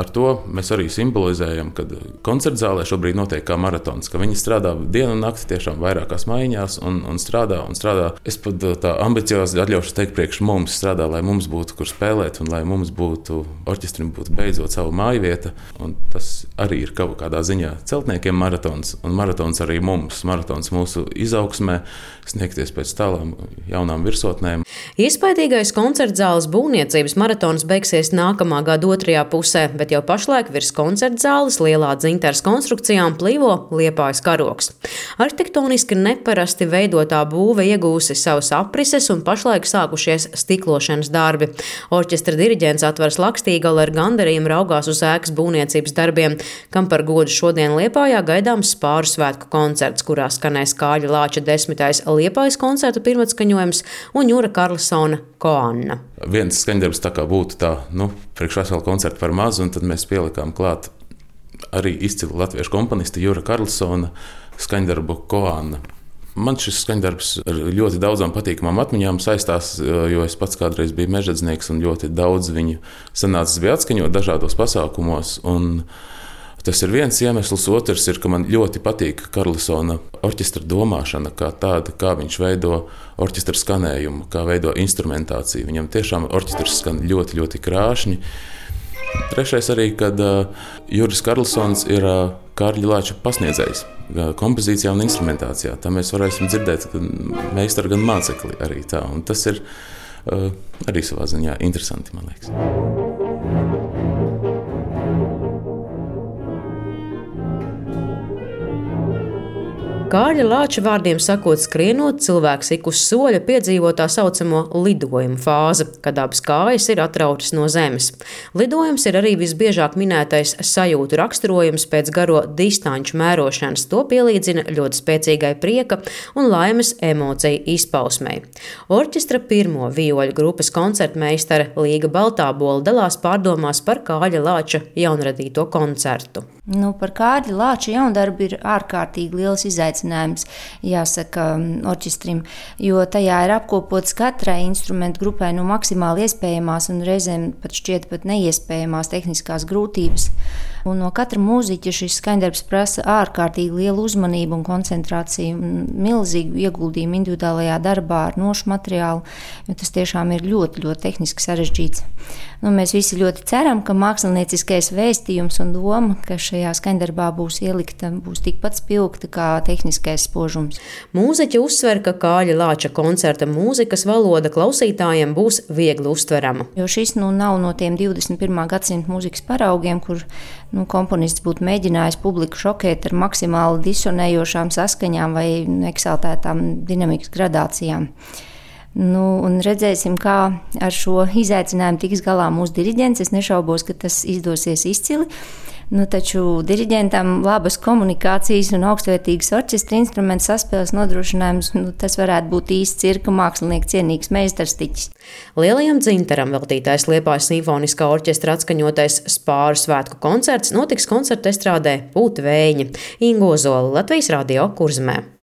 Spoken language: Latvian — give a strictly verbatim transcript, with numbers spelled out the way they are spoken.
ar to mēs arī simbolizējam, ka koncerta zālē šobrīd notiek kā maratons, ka viņi strādā dienu un nakti tiešām vairākās maiņās un, un strādā un strādā. Es pat tā ambiciozi atļaušu teikt priekš mums strādā, lai mums būtu kur spēlēt un lai mums būtu, orķestrim būtu beidzot savu māju vieta. Un tas arī ir kaut kādā ziņā celtniekiem maratons un maratons arī mums, maratons mūsu izaugsmē, sniegties pēc tālām jaunām virsotnēm. Iespaidīgais koncertzāles būvniecības maratons beigsies nākamā gada otrajā pusē, bet jau pašlaik virs koncertzāles lielā dzintars konstrukcijām plīvo Liepājas karogs. Arhitektoniski neparasti veidotā būve iegūsi savas aprises un pašlaik sākušies stiklošanas darbi. Orķestra diriģents Atvars Lakstīgala ar gandarījumu raugās uz ēkas būvniecības darbiem, kam par godu šodien Liepājā gaidāms Spāru svētku koncerts, kurā skanēs Kāļa Lāča desmitais Liepājas koncerta pirmatskaņojums un Jura Karlsona Koanna. Viens skaņdarbs tā kā būtu tā, nu, priekšvēsela koncerta par mazu, un tad mēs pielikām klāt arī izcilu latviešu komponistu Jura Karlsona skaņdarbu Koanna. Man šis skaņdarbs ar ļoti daudzām patīkamām atmiņām saistās, jo es pats kādreiz biju mežģedznieks un ļoti daudz viņu sanācis bija atskaņot dažādos pasākumos. Un tas ir viens iemesls, otrs ir, ka man ļoti patīk Karlsona orķestra domāšana kā tāda, kā viņš veido orķestra skanējumu, kā veido instrumentāciju. Viņam tiešām orķestrs skan ļoti, ļoti krāšņi. Trešais arī, kad uh, Juris Karlsons ir uh, Kārļa Lāča pasniedzējs uh, kompozīcijā un instrumentācijā. Tā mēs varēsim dzirdēt gan meistaru, gan mācekli arī tā. Un tas ir uh, arī savā ziņā interesanti, man liekas. Kārļa Lāča vārdiem sakot, skrienot, cilvēks ik uz soļa piedzīvo tā saucamo lidojumu fāzi, kad abas kājas ir atrautas no zemes. Lidojums ir arī visbiežāk minētais sajūtu raksturojums pēc garo distanču mērošanas. To pielīdzina ļoti spēcīgai prieka un laimes emociju izpausmei. Orķestra pirmo vioļu grupas koncertmeistare Līga Baltābola dalās pārdomās par Kārļa Lāča jaunradīto koncertu. Nu, par Kārļa Lāča jaundarbu ir ārkārtīgi liels izaicinājums, jāsaka, orķestrim, jo tajā ir apkopots katrai instrumentu grupai no maksimāli iespējamās un reizēm pat šķiet pat neiespējamās tehniskās grūtības. Un no katra mūziķa šis skaņdarbs prasa ārkārtīgi lielu uzmanību un koncentrāciju, un milzīgu ieguldījumu individuālajā darbā ar nošu materiālu, jo tas tiešām ir ļoti, ļoti tehniski sarežģīts. Nu, mēs visi ļoti ceram, ka mākslinieckais vēstījums un doma, ka šajā skaņdarbā būs ielikta, būs tikpat spilgta kā tehniskais spožums. Mūziķi uzsver, ka Kārļa Lāča koncerta mūzikas valoda klausītājiem būs viegli uztverama. Jo šis nu nav no tiem divdesmit pirmā gadsimta mūzikas paraugiem, kur nu, komponists būtu mēģinājis publiku šokēt ar maksimāli disonējošām saskaņām vai eksaltētām dinamikas gradācijām. Nu, un redzēsim, kā ar šo izaicinājumu tiks galā mūsu diriģents. Es nešaubos, ka tas izdosies izcili. Nu, taču diriģentam labas komunikācijas un augstvērtīgas orķestra instrumentu saspēles nodrošinājums, nu, tas varētu būt īsts cirka mākslinieka cienīgs meistarstiķis. Lielajam dzintaram veltītais Liepājas simfoniskā orķestra atskaņotais Spāru svētku koncerts notiks koncerta estrādē Pūta Vējiņa. Inga Ozola, Latvijas Radio, Kurzemē.